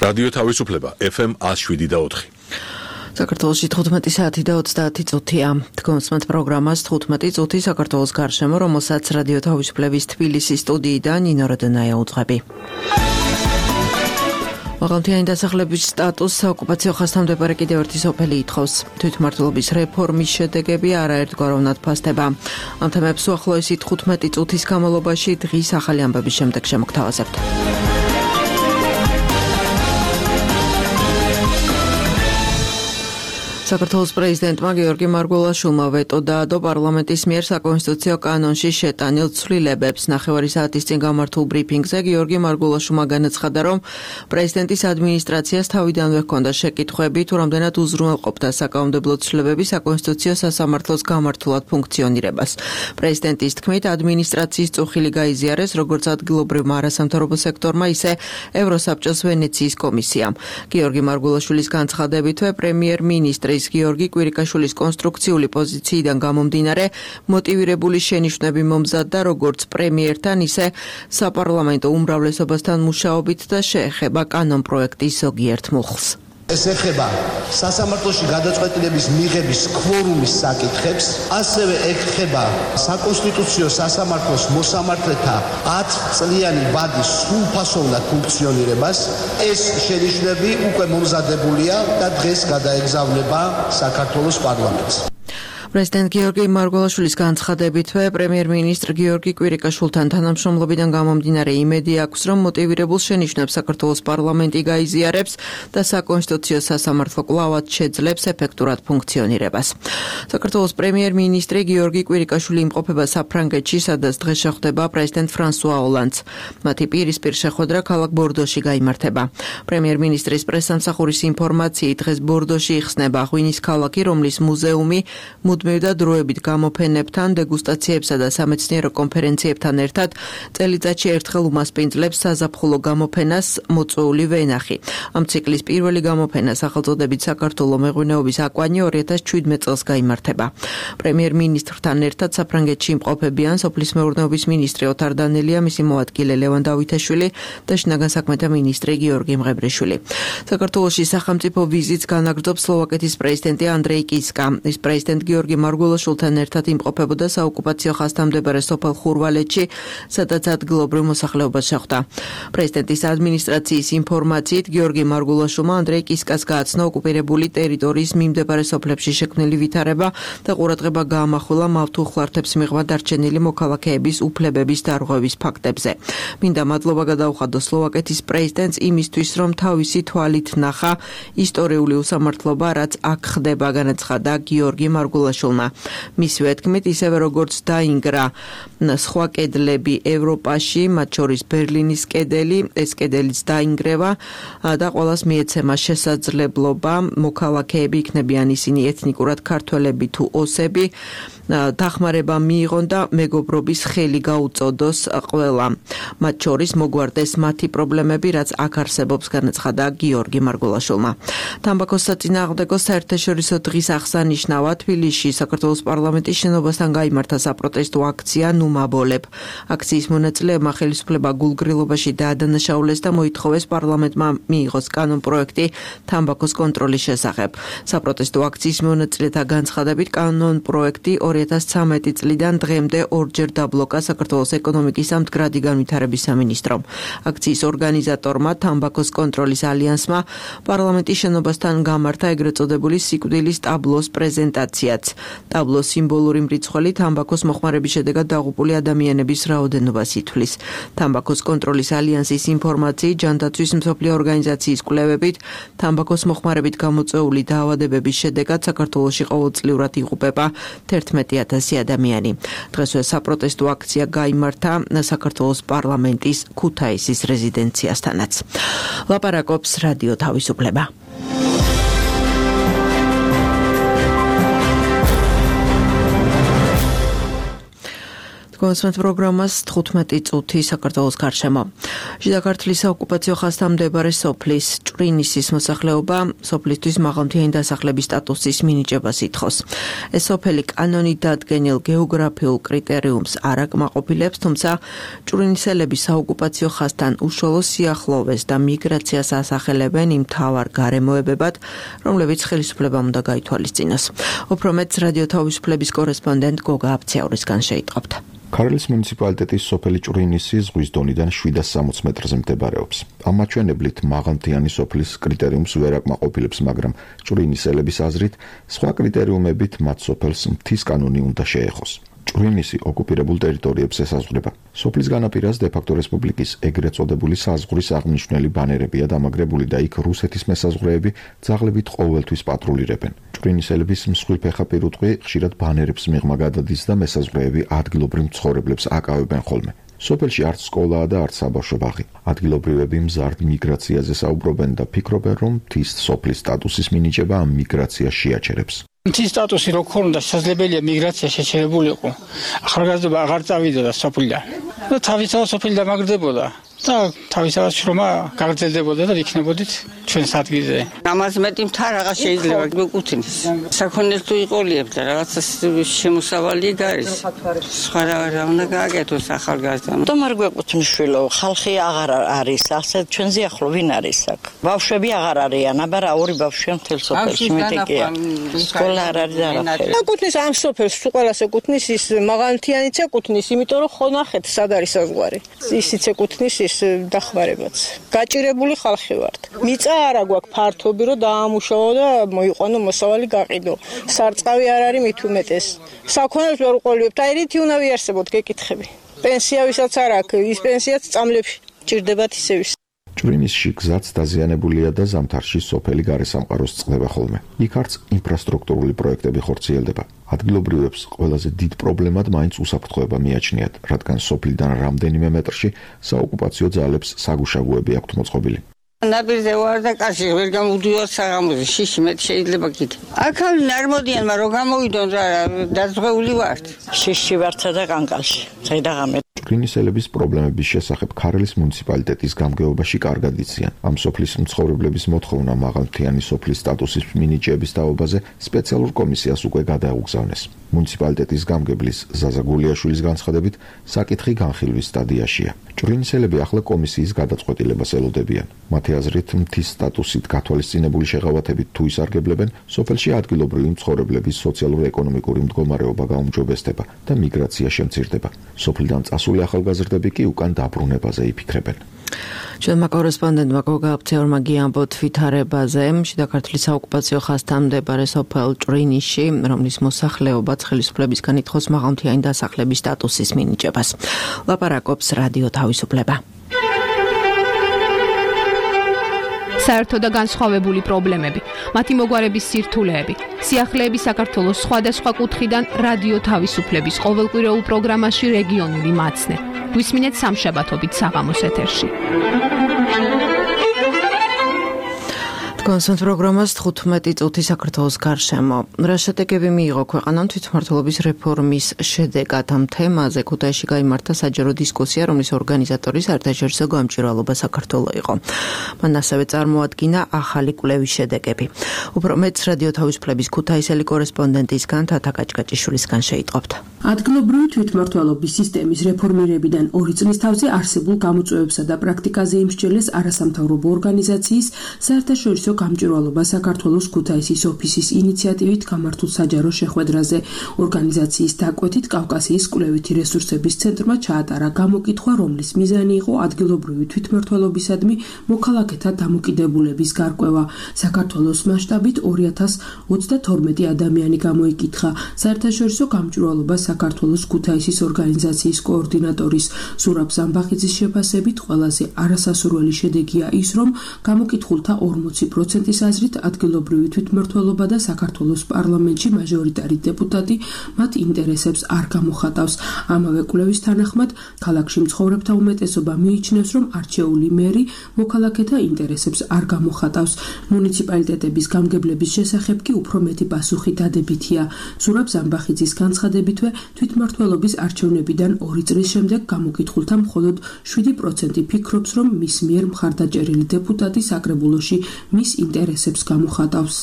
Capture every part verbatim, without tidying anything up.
რადიო თავისუფლება ეფ ემ one oh seven და four. საქართველოში თხუთმეტი საათი და ოცდაათი წუთია. Თქვენსმათ პროგრამას თხუთმეტი წუთი საქართველოს გარშემო, რომელსაც რადიო თავისუფლების თბილისის სტუდიიდან ნინო როდონაია უძღვები. მაღალმთიანი დასახლების სტატუსს საოკუპაციო ხაზთამდებარე კიდევ ერთი სოფელი ითხოვს. თვითმმართველობის რეფორმის შედეგები არაერთგვაროვნად ფასდება. ამ თემებს უახლოესი თხუთმეტი წუთის განმავლობაში დღის ახალი ამბების შემდეგ შემოგთავაზებთ. საქართველოს პრეზიდენტმა გიორგი მარგველაშვილმა ვეტო დაადო პარლამენტის მიერ საკონსტიტუციო კანონში შეტანილ ცვლილებებს. ნახევარი საათის წინ გამართულ ბრიფინგზე გიორგი მარგველაშვილმა განაცხადა, რომ პრეზიდენტის ადმინისტრაციას თავიდანვე ჰქონდა შეკითხვები, თუ რამდენად უზრუნველყოფდა საკანონმდებლო ცვლილებები საკონსტიტუციო სასამართლოს გამართულად ფუნქციონირებას. პრეზიდენტის თქმით, ადმინისტრაციის წუხილი გაიზიარეს როგორც ადგილობრივმა არასამთავრობო სექტორმა, ისე ევროსაბჭოს ვენეციის კომისიამ. გიორგი მარგველაშვილის განცხადებითვე პრემიერ-მინისტრი გიორგი კვირიკაშვილის კონსტრუქციული პოზიციიდან გამომდინარე მოტივირებული შენიშვნები მომზადდა როგორც პრემიერთან, ისე საპარლამენტო უმრავლესობასთან მუშაობით და შეეხება კანონპროექტის ზოგიერთ მუხლს. ეს ეხება სასამართლოში გადაწყვეტილების მიღების კვორუმის საკითხებს, ასევე ეხება საკონსტიტუციო სასამართლოს მოსამართლეთა ათი წლიანი ვადის სრულფასოვნად ფუნქციონირებას. ეს შენიშვნები უკვე მომზადებულია და დღეს გადაეგზავნება საქართველოს პარლამენტს. პრეზიდენტ გიორგი მარგველაშვილის განცხადებითვე პრემიერ-მინისტრ გიორგი კვირიკაშვილთან თანამშრომლობიდან გამომდინარე იმედი აქვს, რომ მოტივირებულ შენიშვნებს საქართველოს პარლამენტი გაიზიარებს და საკონსტიტუციო სასამართლო კვლავად შეძლებს ეფექტურად ფუნქციონირებას. საქართველოს პრემიერ-მინისტრი გიორგი კვირიკაშვილი იმყოფება საფრანგეთში, სადაც დღეს შეხვდება პრეზიდენტ ფრანსუა ოლანდს. მათი პირისპირ შეხვედრა ქალაქ ბორდოში გაიმართება. პრემიერ-მინისტრის პრესსამსახურის ინფორმაციით დღეს ბორდოში იხსნება ღვინის ქალაქი, რომლის მუზეუმი მუდმივ და დროებით გამოფენებთან, დეგუსტაციებსა და სამეცნიერო კონფერენციებთან ერთად წელიწადში ერთხელ უმასპინძლებს საზაფხულო გამოფენას მოწვეული ვენახი. ამ ციკლის პირველი გამოფენა სახელწოდებით საქართველოს მეღვინეობის აკვანი ორი ათას შვიდმეტ წელს გაიმართება. პრემიერ-მინისტრთან ერთად საფრანგეთში იმყოფებიან სოფლის მეურნეობის მინისტრი ოთარ დანელია, მისი მოადგილე ლევან დავითაშვილი და შინაგან საქმეთა მინისტრი გიორგი მღებრიშვილი. საქართველოში სახელმწიფო ვიზიტს განაგრძობს სლოვაკეთის პრეზიდენტი ანდრეი კისკა. ის პრეზიდენტ გიორგი მარგველაშვილთან ერთად იმყოფებოდა საოკუპაციო ხაზთამდებარე სოფელ ხურვალეთში, სადაც ადგილობრივ მოსახლეობას შეხვდა. პრეზიდენტის ადმინისტრაციის ინფორმაციით გიორგი მარგველაშვილმა ანდრეი კისკას გააცნო ოკუპირებული ტერიტორიის მიმდებარე სოფლებში შექმნილი ვითარება და ყურადღება გაამახვილა მავთულხლართებს მიღმა დარჩენილი მოქალაქეების უფლებების დარღვევის ფაქტებზე. მინდა მადლობა გადაუხადო სლოვაკეთის პრეზიდენტს იმისთვის, რომ თავისი თვალით ნახა ისტორიული უსამართლობა, რაც აქ ხდება, განაცხადა გიორგი მარგველაშვილმა. მისივე თქმით, ისევე როგორც დაინგრა სხვა კედლები ევროპაში, მათ შორის ბერლინის კედელი, ეს კედელიც დაინგრევა და ყველას მიეცემა შესაძლებლობა, მოქალაქეები იქნებიან ისინი ეთნიკურად ქართველები თუ ოსები, დახმარება მიიღონ და მეგობრობის ხელი გაუწოდოს ყველა. მათ შორის მოგვარდეს მათი პრობლემები, რაც აქ არსებობს, განაცხადა გიორგი მარგველაშვილმა. თამბაქოს საწინააღმდეგო საერთაშორისო დღის აღსანიშნავად თბილისში საქართველოს პარლამენტის შენობასთან გაიმართა საპროტესტო აქცია ნუ მაბოლებ. აქციის მონაწილეებმა ხელისუფლება გულგრილობაში დაადანაშაულეს და მოითხოვეს პარლამენტმა მიიღოს კანონპროექტი თამბაქოს კონტროლის შესახებ. საპროტესტო აქციის მონაწილეთა განცხადებით კანონპროექტი ორი ათას ცხრამეტი წლიდან დღემდე ორჯერ დაბლოკა საქართველოს ეკონომიკის და მდგრადი განვითარების სამინისტრომ. აქციის ორგანიზატორმა თამბაქოს კონტროლის ალიანსმა პარლამენტის შენობასთან გამართა ეგრეთ წოდებული სიკვდილის ტაბლოს პრეზენტაციაც. ტაბლოს სიმბოლური მრიცხველი თამბაქოს მოხმარების შედეგად დაღუპული ადამიანების რაოდენობას ითვლის. თამბაქოს კონტროლის ალიანსის ინფორმაციით, ჯანდაცვის მსოფლიო ორგანიზაციის კვლევებით, თამბაქოს მოხმარებით გამოწვეული დაავადებების შედეგად საქართველოში ყოველწლიურად იღუპება თერთმეტი ათასი ადამიანი. დღესვე საპროტესტო აქცია გაიმართა საქართველოს პარლამენტის ქუთაისის რეზიდენციასთანაც. ლაპარაკობს რადიო თავისუფლება. კონსვენთ პროგრამას თხუთმეტი წუთი საქართველოს გარშემო. შიდა ქართლის საოკუპაციო ხაზთან მდებარე სოფლის ჭვრინისის მოსახლეობა სოფლისთვის მაღალმთიანი დასახლების სტატუსის მინიჭებას ითხოვს. ეს სოფელი კანონით დადგენილ გეოგრაფიულ კრიტერიუმს არ აკმაყოფილებს, თუმცა ჭვრინისელები საოკუპაციო ხაზთან უშუალო სიახლოვეს და მიგრაციას ასახელებენ იმ მთავარ გარემოებებად, რომლებიც ხელისუფლებამ უნდა გაითვალისწინოს. უფრო მეტს რადიო თავისუფლების კორესპონდენტ გოგა აფციაურისგან შეიტყობთ. ქარელის მუნიციპალიტეტის სოფელი ჭვრინისი ზღვის დონიდან შვიდას სამოცი მეტრზე მდებარეობს. ამ მაჩვენებლით მაღალმთიანი სოფლის კრიტერიუმს ვერ აკმაყოფილებს, მაგრამ ჭვრინისელების აზრით სხვა კრიტერიუმებით მათ სოფელს მთის კანონი უნდა შეეხოს. ჭვრინისი ოკუპირებულ ტერიტორიებს ესაზღვრება. სოფლის განაპირას დე-ფაქტო რესპუბლიკის ეგრეთ წოდებული საზღვრის აღმნიშვნელი ბანერებია დამაგრებული და იქ რუსეთის მესაზღვრეები ძაღლებით ყოველთვის პატრულირებენ. ჭვრინისელების მსხვილფეხა პირუტყვი ხშირად ბანერებს მიღმა გადადის და მესაზღვრეები ადგილობრივ მცხოვრებლებს აკავებენ ხოლმე. სოფელში არც სკოლაა და არც საბავშვო ბაღი. ადგილობრივები მზარდ მიგრაციაზე საუბრობენ და ფიქრობენ, რომ მთის სოფლის სტატუსის მინიჭება ამ მიგრაციას შეაჩერებს. მთის სტატუსი როგორ უნდა შესაძლებელია მიგრაცია შეჩერებულიყო. ახალგაზრდობა აღარ წავიდოდა სოფლიდან. და თავისთავად სოფელი დამაგრდებოდა. და თავისთავად შრომა გაგრძელდებოდა და იქნებოდით ჩვენს ადგილზე. ამაზე მეტი მთა რაღაც შეიძლება გეკუთვნის. საქონელს თუ იყოლიებთ და რაღაცა შემოსავალი გარის. სხვა რა უნდა გააკეთოს ახალგაზრდამ. თუმცა არ გვეკუთვნის შვილო, ხალხი აღარ არის, ასე ჩვენზე ახლო ვინ არის აქ? ბავშვები აღარ არიან, აბა რა ორი ბავშვია მთელ სოფელში მეტია. სკოლა არ არის და არაფერი. ეკუთვნის ამ სოფელს, თუ ყველას ეკუთვნის ის მაღალმთიანიც ეკუთვნის, იმიტომ რომ ხო ნახეთ სად არის საზღვარი. ისიც ეკუთვნის ის დახმარებაც. გაჭირებული ხალხი ვართ. მიწა არა გვაქვს ფართობი, რომ დაამუშავო და მოიყვანო მოსავალი გაყიდო. სარწყავი არ არის მით უმეტეს. საქონელს ვერ უყოლიებთ, აი რითი უნდა ვიარსებოთ გეკითხები. პენსია ვისაც არ აქვს, ის პენსიაც წამლებში ჭირდებათ ისევის. ჭვრინისში გზაც დაზიანებულია და ზამთარში სოფელი გარესამყაროს წყდება ხოლმე. იქ არც ინფრასტრუქტურული პროექტები ხორციელდება. ადგილობრივებს ყველაზე დიდ პრობლემად მაინც უსაფრთხოება მიაჩნიათ, რადგან სოფლიდან რამდენიმე მეტრში საოკუპაციო ძალებს საგუშაგოები აქვთ მოწყობილი. ნაპირზე ვარ და კარში ვერ გამოვდივარ საღამოზე, შიში მეტი შეიძლება გითხრა. აქამდე არ მოდიან, მაგრამ გამოვიდონ რა, დაზღვეული ვართ. შიში ვარცა და კანკალში. ზედაღამე ჭვრინისელების პრობლემების შესახებ ქარელის მუნიციპალიტეტის გამგეობაში კარგად იციან. ამ სოფლის მცხოვრებლების მოთხოვნა მაღალმთიანი სოფლის სტატუსის მინიჭების თაობაზე სპეციალურ კომისიას უკვე გადაუგზავნეს. მუნიციპალიტეტის გამგებლის ზაზა გულიაშვილის განცხადებით, საკითხი განხილვის სტადიაშია. ჭვრინისელები ახლა კომისიის გადაწყვეტილებას ელოდებიან. მათი აზრით, მთის სტატუსით გათვალისწინებული შეღავათებით თუ ისარგებლებენ, სოფელში ადგილობრივი მცხოვრებლების სოციალურ-ეკონომიკური მდგომარეობა გაუმჯობესდება და მიგრაცია შემცირდება. სოფლიდან წასული ახალგაზრდები კი უკან დაბრუნებაზე იფიქრებენ. ჩვენმა კორესპონდენტმა გოგა აფციაურმა გიამბოთ ვითარებაზე შიდა ქართლის საოკუპაციო ხაზთან მდებარე სოფელ ჭვრინისში, რომლის მოსახლეობაც ხელისუფლებისგან ითხოვს მაღალმთიანი დასახლების სტატუსის მინიჭებას. ლაპარაკობს რადიო თავისუფლება. საერთო და განსხვავებული პრობლემები, მათი მოგვარების სირთულეები, სიახლეები საქართველოს სხვადასხვა კუთხიდან რადიო თავისუფლების ყოველკვირეულ პროგრამაში რეგიონული მაცნე. გვისმინეთ სამშაბათობით საღამოს ეთერში. კონსვენთ პროგრამას თხუთმეტი წუთი საქართველოს გარშემო. რა შედეგები მიიღო ქვეყანამ თვითმმართველობის რეფორმის შედეგად? ამ თემაზე ქუთაისში გაიმართა საჯარო დისკუსია, რომლის ორგანიზატორი საერთაშორისო გამჭვირვალობა საქართველო იყო. მან ასევე წარმოადგინა ახალი კვლევის შედეგები. უფრო მეტს რადიო თავისუფლების ქუთაისელი კორესპონდენტისგან თათა კაჭკაჭიშვილისგან შეიტყობთ. ადგილობრივი თვითმმართველობის სისტემის რეფორმირებიდან ორი წლის თავზე არსებულ გამოწვევებსა და პრაქტიკაზე იმსჯელეს არასამთავრობო ორგანიზაციის საერთაშორისო გამჭვირვალობა საქართველოს ქუთაისის ოფისის ინიციატივით გამართულ საჯარო შეხვედრაზე. ორგანიზაციის დაკვეთით კავკასიის კვლევითი რესურსების ცენტრმა ჩაატარა გამოკითხვა, რომლის მიზანი იყო ადგილობრივი თვითმმართველობისადმი მოქალაქეთა დამოკიდებულების გარკვევა. საქართველოს მასშტაბით ორი ათას ოცდათორმეტი ადამიანი გამოიკითხა. საერთაშორისო გამჭვირვალობა საქართველოს ქუთაისის ორგანიზაციის კოორდინატორის ზურაბ ზამბახიძის შეფასებით ყველაზე არასასურველი შედეგია ის, რომ გამოკითხულთა ორმოცი პროცენტი პროცენტის აზრით ადგილობრივი თვითმმართველობა და საქართველოს პარლამენტში მაჟორიტარი დეპუტატი მათ ინტერესებს არ გამოხატავს. ამავე კვლევის თანახმად, ქალაქში მცხოვრებთა უმეტესობა მიიჩნევს, რომ არჩეული მერი მოქალაქეთა ინტერესებს არ გამოხატავს. მუნიციპალიტეტების გამგებლების შესახებ კი უფრო მეტი პასუხი დადებითია. ზურაბ ზამბახიძის განცხადებითვე, თვითმმართველობის არჩევნებიდან ორი წლის შემდეგ გამოკითხულთა მხოლოდ შვიდი პროცენტი ფიქრობს, რომ მის მიერ მხარდაჭერილი დეპუტატი საკრებულოში მის ინტერესებს გამოხატავს.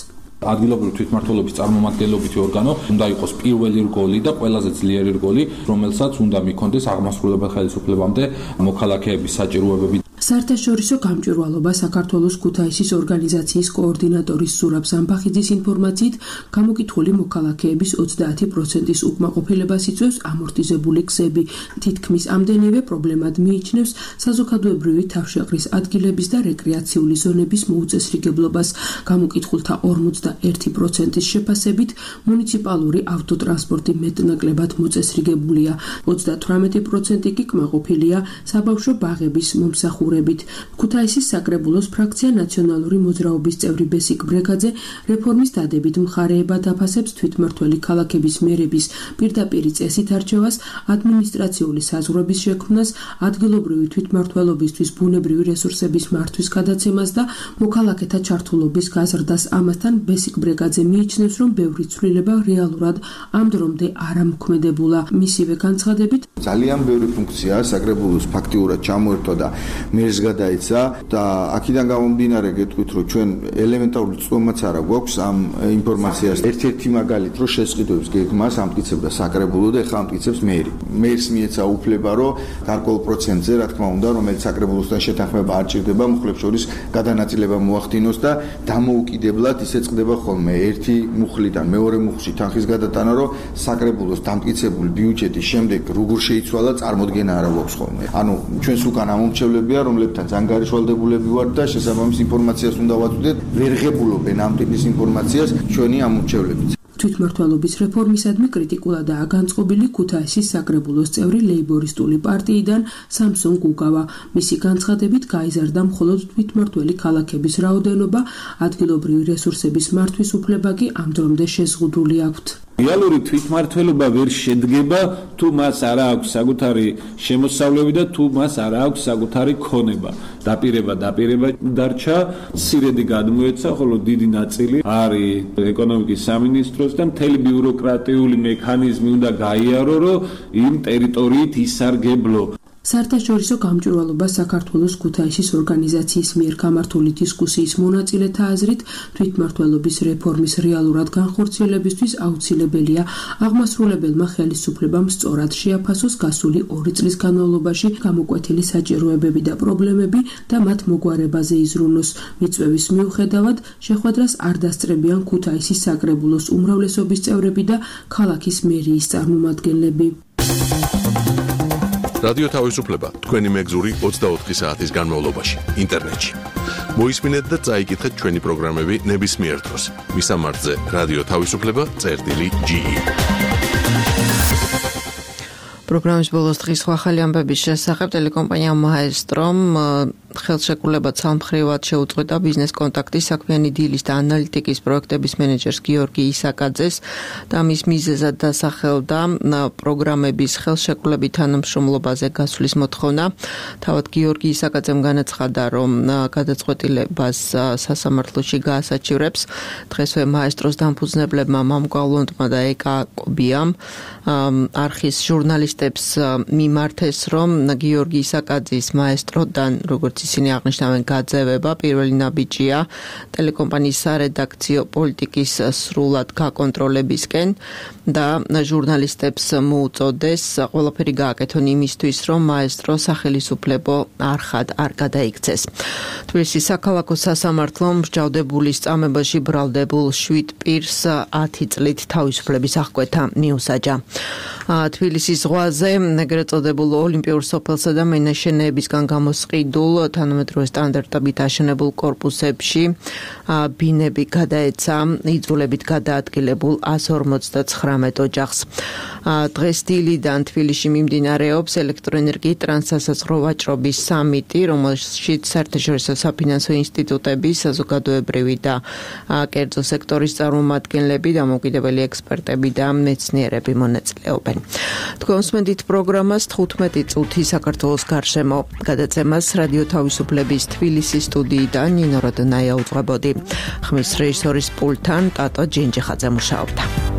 ადგილობრივი თვითმმართველობის წარმომადგენლობითი ორგანო უნდა იყოს პირველი რგოლი და ყველაზე ძლიერი რგოლი, რომელსაც უნდა მიქონდეს აღმასრულებელ ხელისუფლებამდე მოქალაქეების საჭიროებები. საერთაშორისო გამჭვირვალობა საქართველოს ქუთაისის ორგანიზაციის კოორდინატორის ზურაბ ზამბახიძის ინფორმაციით, გამოკითხული მოქალაქეების ოცდაათი პროცენტის უკმაყოფილებას იწვევს ამორტიზებული გზები. თითქმის ამდენივე პრობლემად მიიჩნევს საზოგადოებრივი თავშეყრის ადგილების და რეკრეაციული ზონების მოუწესრიგებლობას. გამოკითხულთა ორმოცდაერთი პროცენტის შეფასებით, მუნიციპალური ავტოტრანსპორტი მეტნაკლებად მოწესრიგებულია. ოცდათვრამეტი პროცენტი კი კმაყოფილია საბავშვო ბაღების მომსახურებით. ქუთაისის საკრებულოს ფრაქცია ნაციონალური მოძრაობის წევრი ბესიკ ბრეგაძე რეფორმის დადებით მხარეებად აფასებს თვითმმართველი ქალაქების მერების პირდაპირი წესით არჩევას, ადმინისტრაციული საზღვრების შექმნას, ადგილობრივი თვითმმართველობისთვის ბუნებრივი რესურსების მართვის გადაცემას და მოქალაქეთა ჩართულობის გაზრდას. ამასთან ბესიკ ბრეგაძე მიიჩნევს, რომ ბევრი ცვლილება რეალურად ამ დრომდე არ ამოქმედებულა. მისივე განცხადებით, ძალიან ბევრი ფუნქცია საკრებულოს ფაქტიურად ჩამოერთვა და მერს გადაეცა და აქედან გამომდინარე გეტყვით, რომ ჩვენ ელემენტარული წვდომაც არა გვაქვს ამ ინფორმაციას. ერთ-ერთი მაგალითი, რომ შესყიდვებს გეგმას ამტკიცებდა საკრებულო და ეხლა ამტკიცებს მერი. მერს მიეცა უფლება, რომ გარკვეულ პროცენტზე, რა თქმა უნდა, რომელიც საკრებულოსთან შეთანხმება არ ჭირდება, მუხლებს შორის გადანაწილება მოახდინოს და დამოუკიდებლად ისე წყდება ხოლმე ერთი მუხლიდან მეორე მუხლში თანხის გადატანა, რომ საკრებულოს დამტკიცებული ბიუჯეტის შემდეგ როგორ შეიცვალა, წარმოდგენა არა გვაქვს ხოლმე. ანუ ჩვენს უკან ამომრჩევლებია, რომლებთან ძანგარიშვალდებულები ვართ და შესაბამის ინფორმაციას უნდა ვაწვდეთ, ვერ ღებულობენ ამ ტიპის ინფორმაციას ჩვენი ამომრჩევლები. თვითმმართველობის რეფორმისადმი კრიტიკულადაა განწყობილი ქუთაისის საკრებულოს წევრი ლეიბორისტული პარტიიდან სამსონ გუგავა. მისი განცხადებით, გაიზარდა მხოლოდ თვითმმართველი ქალაქების რაოდენობა, ადგილობრივი რესურსების მართვის უფლება კი ამ დრომდე შეზღუდული აქვთ. რეალური თვითმმართველობა ვერ შედგება, თუ მას არ აქვს საკუთარი შემოსავლები და თუ მას არ აქვს საკუთარი ქონება. დაპირება დაპირება დარჩა, სირედი გადმოეცა, ხოლო დიდი ნაწილი არის ეკონომიკის სამინისტროს და მთელი ბიუროკრატიული მექანიზმი უნდა გაიარო, რომ იმ ტერიტორიით ისარგებლო. საერთაშორისო გამჭვირვალობა საქართველოს ქუთაისის ორგანიზაციის მიერ გამართული დისკუსიის მონაწილეთა აზრით, თვითმმართველობის რეფორმის რეალურად განხორციელებისთვის აუცილებელია აღმასრულებელმა ხელისუფლებამ სწორად შეაფასოს გასული ორი წლის განმავლობაში გამოკვეთილი საჭიროებები და პრობლემები და მათ მოგვარებაზე იზრუნოს. მიწვევის მიუხედავად, შეხვედრას არ დასწრებიან ქუთაისის საკრებულოს უმრავლესობის წევრები და ქალაქის მერიის წარმომადგენლები. რადიო თავისუფლება თქვენი მეგზური ოცდაოთხი საათის განმავლობაში ინტერნეტში. მოისმინეთ და წაიკითხეთ ჩვენი პროგრამები ნებისმიერ დროს. მისამართზე რადიო თავისუფლება წერტილი ჯი ი. პროგრამის ბოლოს დღის ახალი ამბების შესახებ ტელეკომპანია მაესტრომ ხელშეკრულება ცალმხრივად შეუწყვეტა ბიზნეს კონტაქტის საქმიანი დილის და ანალიტიკის პროექტების მენეჯერს გიორგი ისაკაძეს და მის მიზეზად დასახელდა პროგრამების ხელშეკრულებით თანამშრომლობაზე გასვლის მოთხოვნა. თავად გიორგი ისაკაძემ განაცხადა, რომ გადაწყვეტილებას სასამართლოში გაასაჩივრებს. დღესვე მაესტროს დამფუძნებლებმა მამკავლონტმა და ეკა კობიამ არხის ჟურნალისტებს მიმართეს, რომ გიორგი ისაკაძის მაესტროდან, როგორც ისინი აღნიშნავენ, გაძევება პირველი ნაბიჯია ტელეკომპანიის სარედაქციო პოლიტიკის სრულად გაკონტროლებისკენ და ჟურნალისტებს მოუწოდეს ყველაფერი გააკეთონ იმისთვის, რომ მაესტრო სახელისუფლებო არხად არ გადაიქცეს. თბილისის საქალაქო სასამართლომ მსჯავრდებული სწამებაში ბრალდებულ შვიდ პირს ათი წლით თავისუფლების აღკვეთა მიუსაჯა. თბილისის ზღვაზე ეგრეთ წოდებულ ოლიმპიურ სოფელსა და მინაშენებისგან გამოსყიდულ თანამედროვე სტანდარტებით აშენებულ კორპუსებში ბინები გადაეცა იძულებით გადაადგილებულ ასორმოცდაცხრა ათდრამეტ ოჯახს. დღეს დილიდან თბილისში მიმდინარეობს ელექტროენერგიის ტრანსსასაზღვრო ვაჭრობის სამიტი, რომელშიც საერთაშორისო საფინანსო ინსტიტუტები, საზოგადოებრივი და კერძო სექტორის წარმომადგენლები, დამოუკიდებელი ექსპერტები და მეცნიერები მონაწილეობენ. თქვენ უსმენთ პროგრამას თხუთმეტი წუთი საქართველოს გარშემო. გადაცემას რადიო თავისუფლების თბილისის სტუდიიდან ნინო როდნაია უძღვებოდი. ხმის რეჟისორის პულტთან ტატო ჯინჯიხაძე მუშაობდა.